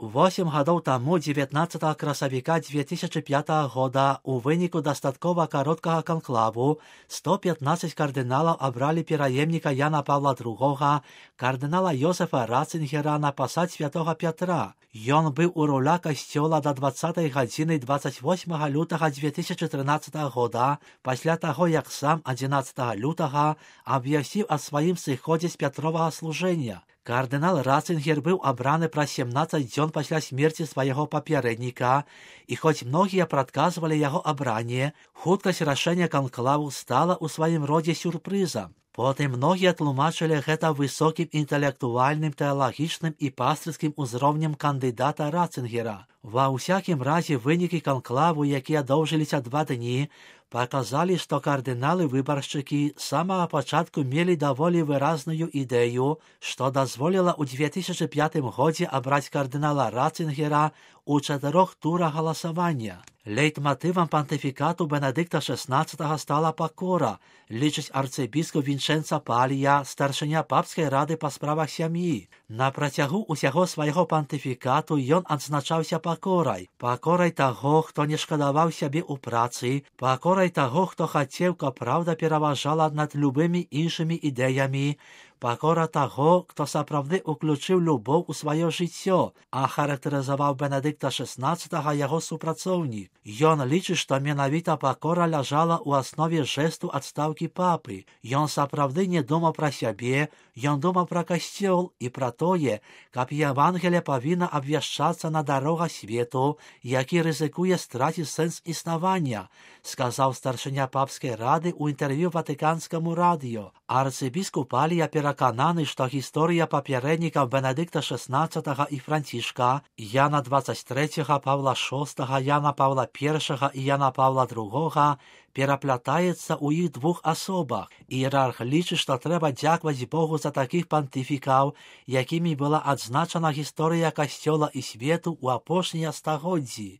8 гадоў таму 19 красавіка 2005 года у выніку дастаткова кароткага канклаву 115 кардыналаў абралі пераемніка Яна Павла II, кардынала Йозефа Ратцингера, на пасад святого Пятра. Ён быў у руля касцёла до 20 гадзіны 28 лютага 2013 года, пасля таго, як сам 11 лютага абвясціў аб сваім сыходзе з пятровага служэння. Кардынал Ратцингер быў абраны праз 17 дзён пасля смерці свайго папярэдніка, і хоць многія прадказвалі яго абранне, хуткасць рашэння канклаву стала ў сваім родзе сюрпрызам. Потым многія тлумачылі гэта высокім інтэлектуальным, тэалагічным і пастырскім узроўнем кандыдата Ратцингера. Ва ўсякім разе вынікі канклаву, якія доўжыліся 2 дні, паказалі, што кардыналы-выбаршчыкі з самага пачатку мелі даволі выразную ідэю, што дазволіла ў 2005 годзе абраць кардынала Ратцингера у 4 турах галасавання. Лейтматывам пантыфікату Бенедыкта XVI стала пакора, лічыць арцыбіскуп Вінчэнца Палія, старшыня папскай рады па справах сям'і. На працягу ўсяго свайго пантыфікату ён адзначаўся пакорай таго, хто не шкадаваў сябе ў працы, пакорай таго, хто хацеў, каб праўда пераважала над любымі іншымі ідэямі, пакора таго, хто сапраўды уключыў любоў у сваё жыццё, а характарызаваў Бенедыкта XVI яго супрацоўнік. Ён лічыць, што менавіта пакора ляжала ў аснове жэсту адстаўкі папы. Ён сапраўды не думаў пра сябе, ён думаў пра касцёл і пра тое, каб Евангелие павінна абвяшчацца на дарогах свету, які рызыкуе страціць сэнс існавання, сказаў старшыня папскай рады ў інтэрв'ю Ватыканскаму радыё. Арцыбіскуп Палія перакананы, што гісторыя папярэднікаў Бенедыкта XVI і Францішка, Яна XXIII, Павла VI, Яна Павла I і Яна Павла II пераплятаецца ў іх двух асобах. Іерарх лічыць, што трэба дзякаваць Богу за такіх пантыфікаў, якімі была адзначана гісторыя касцёла і свету ў апошнія стагоддзі.